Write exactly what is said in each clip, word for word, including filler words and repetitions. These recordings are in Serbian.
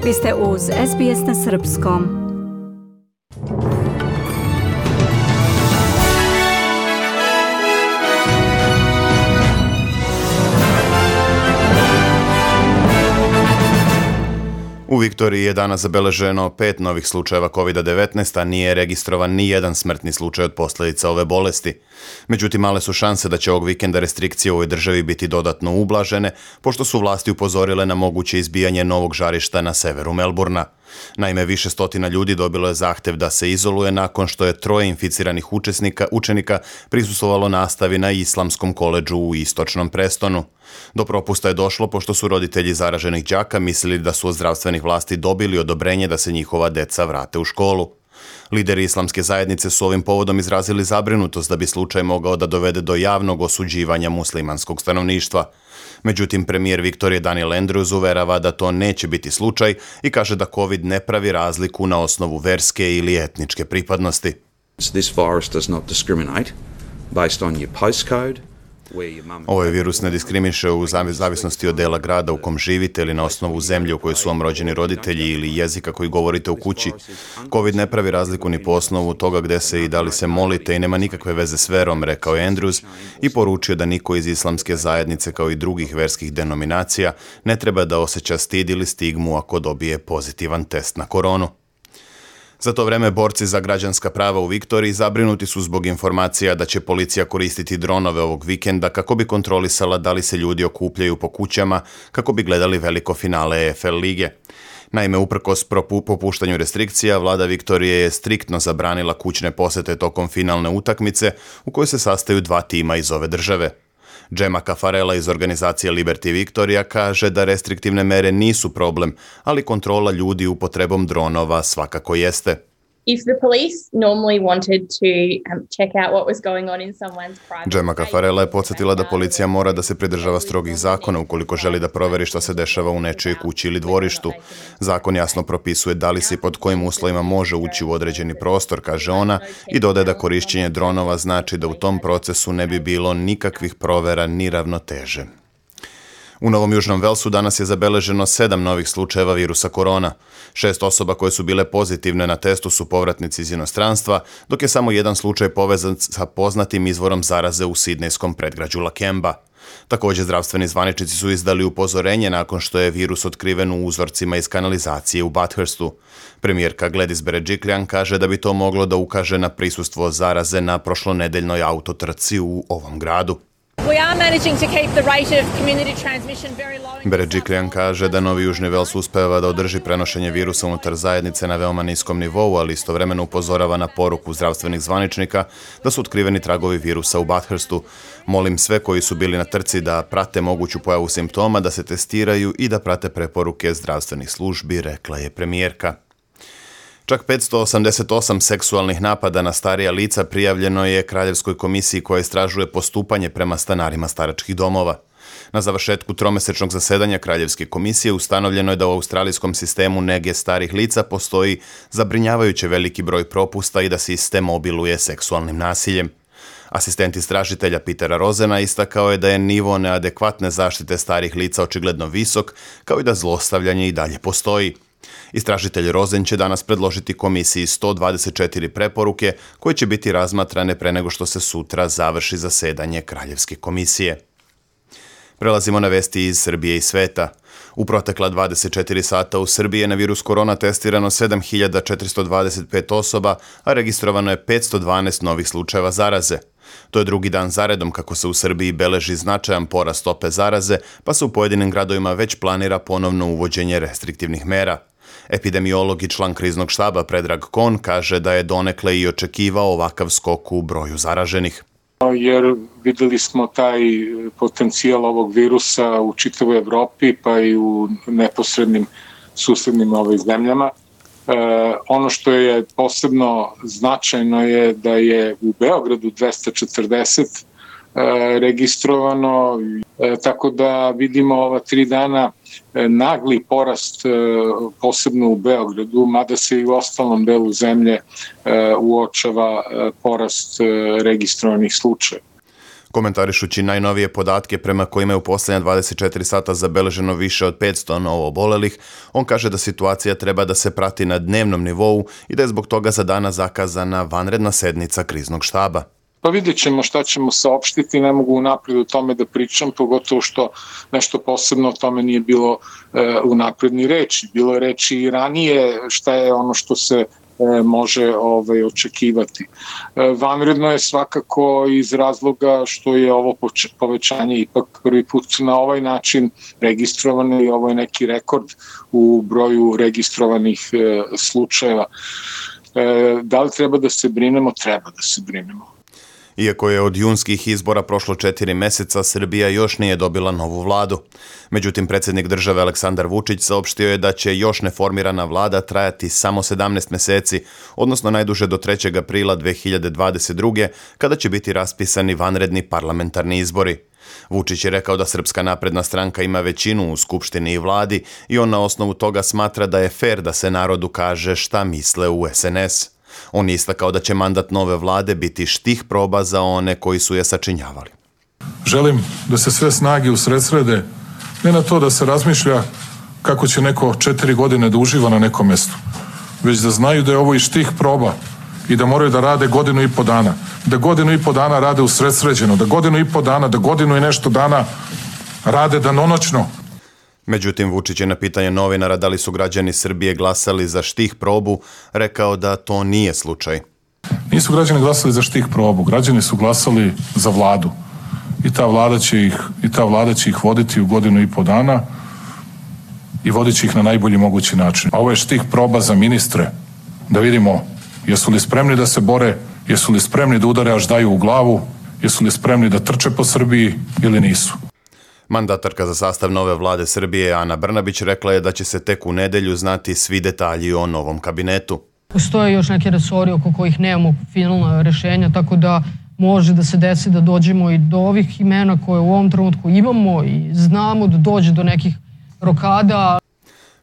Vi ste uz S B S na srpskom. U Viktoriji je danas zabeleženo pet novih slučajeva kovid devetnaest, a nije registrovan ni jedan smrtni slučaj od posljedica ove bolesti. Međutim, male su šanse da će ovog vikenda restrikcije u ovoj državi biti dodatno ublažene, pošto su vlasti upozorile na moguće izbijanje novog žarišta na severu Melburna. Naime, više stotina ljudi dobilo je zahtev da se izoluje nakon što je troje inficiranih učesnika, učenika prisustvovalo nastavi na Islamskom koledžu u istočnom Prestonu. Do propusta je došlo pošto su roditelji zaraženih đaka mislili da su od zdravstvenih vlasti dobili odobrenje da se njihova deca vrate u školu. Lideri islamske zajednice su ovim povodom izrazili zabrinutost da bi slučaj mogao da dovede do javnog osuđivanja muslimanskog stanovništva. Međutim, premijer Viktorije Daniel Andrews uverava da to neće biti slučaj i kaže da COVID ne pravi razliku na osnovu verske ili etničke pripadnosti. This virus does not discriminate based on your postcode. Ovaj virus ne diskriminiše u zavisnosti od dela grada u kom živite ili na osnovu zemlje u kojoj su vam rođeni roditelji ili jezika koji govorite u kući. COVID ne pravi razliku ni po osnovu toga gde se i da li se molite i nema nikakve veze s verom, rekao je Andrews i poručio da niko iz islamske zajednice kao i drugih verskih denominacija ne treba da osjeća stid ili stigmu ako dobije pozitivan test na koronu. Za to vreme borci za građanska prava u Viktoriji zabrinuti su zbog informacija da će policija koristiti dronove ovog vikenda kako bi kontrolisala da li se ljudi okupljaju po kućama kako bi gledali veliko finale E F L lige. Naime, uprkos popuštanju restrikcija, vlada Viktorije je striktno zabranila kućne posete tokom finalne utakmice u kojoj se sastaju dva tima iz ove države. Gemma Caffarella iz organizacije Liberty Victoria kaže da restriktivne mere nisu problem, ali kontrola ljudi upotrebom dronova svakako jeste. If the police normally wanted to um, check out what was going on in someone's private... Gemma Caffarella je podsjetila da policija mora da se pridržava strogih zakona ukoliko želi da proveri šta se dešava u nečijoj kući ili dvorištu. Zakon jasno propisuje da li se i pod kojim uslovima može ući u određeni prostor, kaže ona, i dodaje da korišćenje dronova znači da u tom procesu ne bi bilo nikakvih provera ni ravnoteže. U Novom Južnom Velsu danas je zabeleženo sedam novih slučajeva virusa korona. Šest osoba koje su bile pozitivne na testu su povratnici iz inostranstva, dok je samo jedan slučaj povezan sa poznatim izvorom zaraze u sidnejskom predgrađu Lakemba. Također, zdravstveni zvaničnici su izdali upozorenje nakon što je virus otkriven u uzorcima iz kanalizacije u Bathurstu. Premijerka Gladys Berejiklian kaže da bi to moglo da ukaže na prisustvo zaraze na prošlonedeljnoj autotrci u ovom gradu. Berejiklian kaže da Novi Južni Vels uspeva da održi prenošenje virusa unutar zajednice na veoma niskom nivou, ali istovremeno upozorava na poruku zdravstvenih zvaničnika da su otkriveni tragovi virusa u Bathurstu. Molim sve koji su bili na trci da prate moguću pojavu simptoma, da se testiraju i da prate preporuke zdravstvenih službi, rekla je premijerka. Čak petsto osamdeset osam seksualnih napada na starija lica prijavljeno je Kraljevskoj komisiji koja istražuje postupanje prema stanarima staračkih domova. Na završetku tromesečnog zasedanja Kraljevske komisije ustanovljeno je da u australijskom sistemu nege starih lica postoji zabrinjavajuće veliki broj propusta i da sistem obiluje seksualnim nasiljem. Asistent istražitelja Petera Rozena istakao je da je nivo neadekvatne zaštite starih lica očigledno visok, kao i da zlostavljanje i dalje postoji. Istražitelj Rozen će danas predložiti komisiji sto dvadeset četiri preporuke koje će biti razmatrane pre nego što se sutra završi zasedanje Kraljevske komisije. Prelazimo na vesti iz Srbije i sveta. U protekla dvadeset četiri sata u Srbiji je na virus korona testirano sedam hiljada četiristo dvadeset pet osoba, a registrovano je petsto dvanaest novih slučajeva zaraze. To je drugi dan zaredom kako se u Srbiji beleži značajan porast stope zaraze, pa se u pojedinim gradovima već planira ponovno uvođenje restriktivnih mera. Epidemiolog i član kriznog štaba Predrag Kon kaže da je donekle i očekivao ovakav skok u broju zaraženih. Jer videli smo taj potencijal ovog virusa u čitavoj Evropi pa i u neposrednim susednim ovim zemljama. E, ono što je posebno značajno je da je u Beogradu dvesta četrdeset e, registrovano, e, tako da vidimo ova tri dana e, nagli porast e, posebno u Beogradu, mada se i u ostalom delu zemlje e, uočava e, porast e, registrovanih slučaja. Komentarišući najnovije podatke prema kojima je u posljednja dvadeset četiri sata zabeleženo više od petsto novoobolelih, on kaže da situacija treba da se prati na dnevnom nivou i da je zbog toga za danas zakazana vanredna sednica kriznog štaba. Pa vidjet ćemo šta ćemo saopštiti, ne mogu unaprijed o tome da pričam, pogotovo što nešto posebno o tome nije bilo e, unaprijed ni reči. Bilo je reči i ranije šta je ono što se e, može ovaj, očekivati. E, vanredno je svakako iz razloga što je ovo povećanje ipak prvi put na ovaj način registrovano i ovo je neki rekord u broju registrovanih e, slučajeva. E, da li treba da se brinemo? Treba da se brinemo. Iako je od junskih izbora prošlo četiri meseca, Srbija još nije dobila novu vladu. Međutim, predsjednik države Aleksandar Vučić saopštio je da će još neformirana vlada trajati samo sedamnaest meseci, odnosno najduže do trećeg aprila dve hiljade dvadeset druge. kada će biti raspisani vanredni parlamentarni izbori. Vučić je rekao da Srpska napredna stranka ima većinu u Skupštini i vladi i on na osnovu toga smatra da je fer da se narodu kaže šta misle u es en es. On je istakao da će mandat nove vlade biti štih proba za one koji su je sačinjavali. Želim da se sve snage usredsrede ne na to da se razmišlja kako će neko četiri godine da uživa na nekom mjestu, već da znaju da je ovo i štih proba i da moraju da rade godinu i po dana. Da godinu i po dana rade usredsređeno, da godinu i po dana, da godinu i nešto dana rade danonoćno. Međutim, Vučić je na pitanje novinara da li su građani Srbije glasali za štih probu rekao da to nije slučaj. Nisu građani glasali za štih probu, građani su glasali za vladu i ta vlada će ih, i ta vlada će ih voditi u godinu i po dana i vodit će ih na najbolji mogući način. A ovo je štih proba za ministre, da vidimo jesu li spremni da se bore, jesu li spremni da udare až daju u glavu, jesu li spremni da trče po Srbiji ili nisu. Mandatarka za sastav nove vlade Srbije Ana Brnabić rekla je da će se tek u nedelju znati svi detalji o novom kabinetu. Postoje još neke resori oko kojih nemamo finalna rešenja, tako da može da se desi da dođemo i do ovih imena koje u ovom trenutku imamo i znamo da dođe do nekih rokada.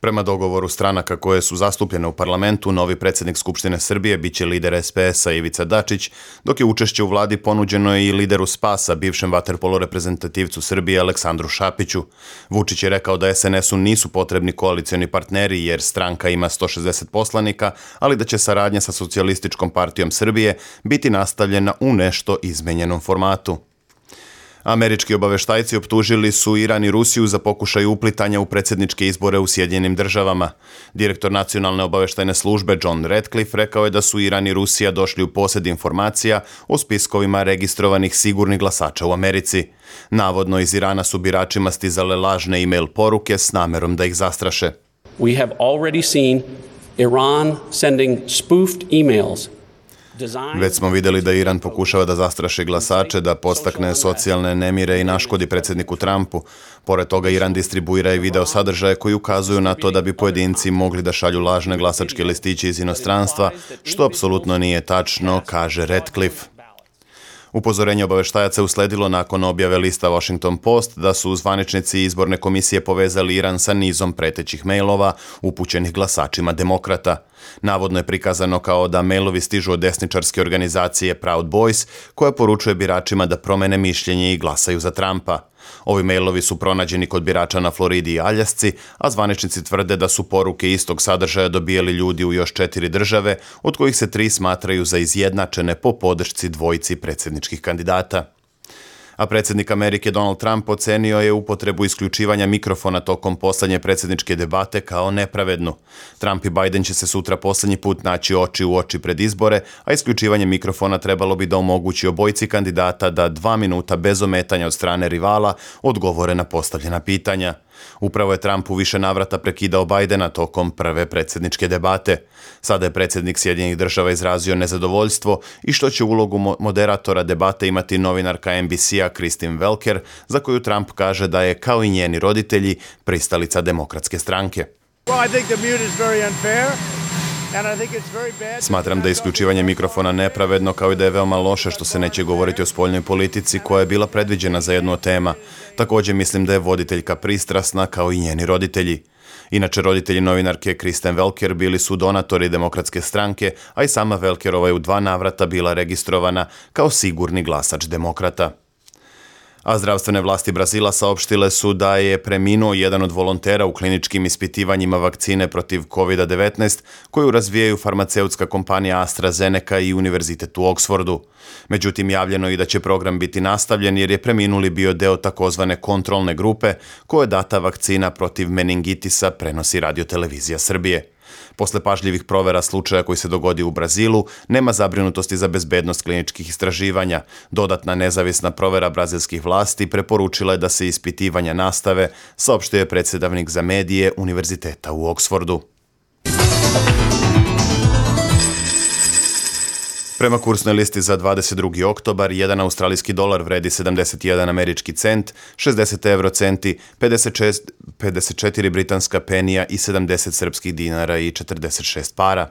Prema dogovoru stranaka koje su zastupljene u parlamentu, novi predsjednik Skupštine Srbije biće lider es pe es-a Ivica Dačić, dok je učešće u vladi ponuđeno i lideru Spasa, bivšem vaterpolo reprezentativcu Srbije Aleksandru Šapiću. Vučić je rekao da es en es-u nisu potrebni koalicioni partneri jer stranka ima sto šezdeset poslanika, ali da će saradnja sa Socijalističkom partijom Srbije biti nastavljena u nešto izmenjenom formatu. Američki obaveštajci optužili su Iran i Rusiju za pokušaj uplitanja u predsjedničke izbore u Sjedinjenim državama. Direktor nacionalne obaveštajne službe John Ratcliffe rekao je da su Iran i Rusija došli u posjed informacija o spiskovima registrovanih sigurnih glasača u Americi. Navodno iz Irana su biračima stizale lažne e-mail poruke s namerom da ih zastraše. We have already seen Iran sending spoofed emails. Već smo vidjeli da Iran pokušava da zastraši glasače, da podstakne socijalne nemire i naškodi predsjedniku Trumpu. Pored toga, Iran distribuira i video sadržaje koji ukazuju na to da bi pojedinci mogli da šalju lažne glasačke listiće iz inostranstva, što apsolutno nije tačno, kaže Ratcliffe. Upozorenje obaveštajaca usledilo nakon objave lista Washington Post da su zvaničnici izborne komisije povezali Iran sa nizom pretećih mailova upućenih glasačima demokrata. Navodno je prikazano kao da mailovi stižu od desničarske organizacije Proud Boys, koja poručuje biračima da promene mišljenje i glasaju za Trumpa. Ovi mailovi su pronađeni kod birača na Floridi i Aljasci, a zvaničnici tvrde da su poruke istog sadržaja dobijali ljudi u još četiri države, od kojih se tri smatraju za izjednačene po podršci dvojici predsjedničkih kandidata. A predsjednik Amerike Donald Trump ocenio je upotrebu isključivanja mikrofona tokom poslednje predsjedničke debate kao nepravednu. Trump i Biden će se sutra poslednji put naći oči u oči pred izbore, a isključivanje mikrofona trebalo bi da omogući obojici kandidata da dva minuta bez ometanja od strane rivala odgovore na postavljena pitanja. Upravo je Trump u više navrata prekidao Bidena tokom prve predsjedničke debate. Sada je predsjednik Sjedinjenih država izrazio nezadovoljstvo i što će ulogu moderatora debate imati novinarka en bi si-a Kristen Welker, za koju Trump kaže da je, kao i njeni roditelji, pristalica demokratske stranke. Smatram da je isključivanje mikrofona nepravedno, kao i da je veoma loše što se neće govoriti o spoljnoj politici koja je bila predviđena za jednu od tema. Također mislim da je voditeljka pristrasna kao i njeni roditelji. Inače, roditelji novinarke Kristen Welker bili su donatori demokratske stranke, a i sama Welkerova je u dva navrata bila registrovana kao sigurni glasač demokrata. A zdravstvene vlasti Brazila saopštile su da je preminuo jedan od volontera u kliničkim ispitivanjima vakcine protiv kovid devetnaest koju razvijaju farmaceutska kompanija AstraZeneca i Univerzitet u Oksfordu. Međutim, javljeno je i da će program biti nastavljen jer je preminuli bio deo takozvane kontrolne grupe koje data vakcina protiv meningitisa prenosi Radio-televizija Srbije. Posle pažljivih provera slučaja koji se dogodio u Brazilu, nema zabrinutosti za bezbednost kliničkih istraživanja. Dodatna nezavisna provera brazilskih vlasti preporučila je da se ispitivanja nastave, saopštio je predsedavnik za medije Univerziteta u Oksfordu. Prema kursnoj listi za dvadeset drugi oktobar, jedan australijski dolar vredi sedamdeset jedan američki cent, šezdeset evro centi, pedeset šest, pedeset četiri britanska penija i sedamdeset srpskih dinara i četrdeset šest para.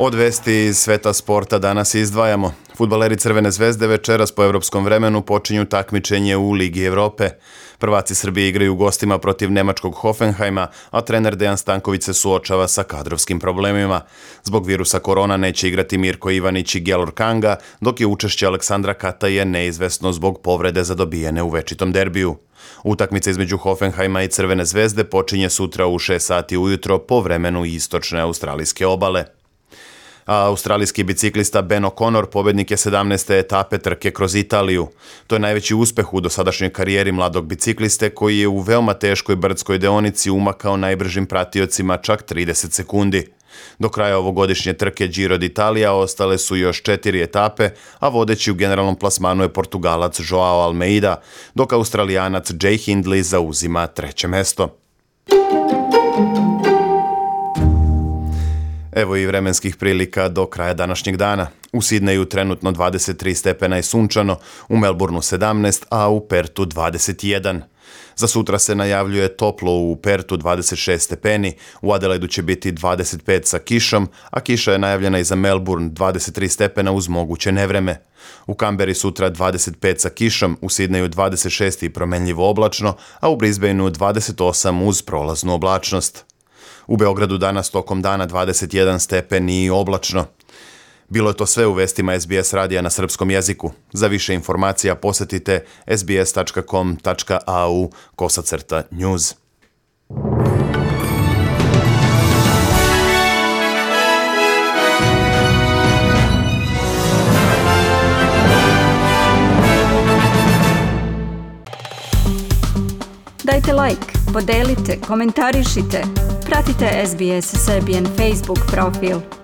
Od vesti iz sveta sporta danas izdvajamo. Fudbaleri Crvene zvezde večeras po evropskom vremenu počinju takmičenje u Ligi Evrope. Prvaci Srbije igraju u gostima protiv nemačkog Hoffenheima, a trener Dejan Stanković se suočava sa kadrovskim problemima. Zbog virusa korona neće igrati Mirko Ivanić i Gelor Kanga, dok je učešće Aleksandra Kataje neizvesno zbog povrede zadobijene u večitom derbiju. Utakmica između Hoffenheima i Crvene zvezde počinje sutra u šest sati ujutro po vremenu istočne australijske obale. A australijski biciklista Ben O'Connor pobednik je sedamnaeste etape trke kroz Italiju. To je najveći uspeh u dosadašnjoj karijeri mladog bicikliste koji je u veoma teškoj brdskoj deonici umakao najbržim pratiocima čak trideset sekundi. Do kraja ovogodišnje trke Giro d'Italia ostale su još četiri etape, a vodeći u generalnom plasmanu je Portugalac Joao Almeida, dok Australijanac Jay Hindley zauzima treće mesto. Evo i vremenskih prilika do kraja današnjeg dana. U Sidneju trenutno dvadeset tri stepena i sunčano, u Melbourneu sedamnaest, a u Pertu dvadeset jedan. Za sutra se najavljuje toplo u Pertu dvadeset šest stepeni, u Adelaidu će biti dvadeset pet sa kišom, a kiša je najavljena i za Melbourne dvadeset tri stepena uz moguće nevreme. U Kamberi sutra dvadeset pet sa kišom, u Sidneju dvadeset šest i promenljivo oblačno, a u Brisbaneu dvadeset osam uz prolaznu oblačnost. U Beogradu danas tokom dana dvadeset jedan stepen i oblačno. Bilo je to sve u vestima S B S radija na srpskom jeziku. Za više informacija posetite s b s tačka com tačka a u kosacrta news. Dajte like, podelite, komentarišite. Pratite S B S Serbian Facebook profil.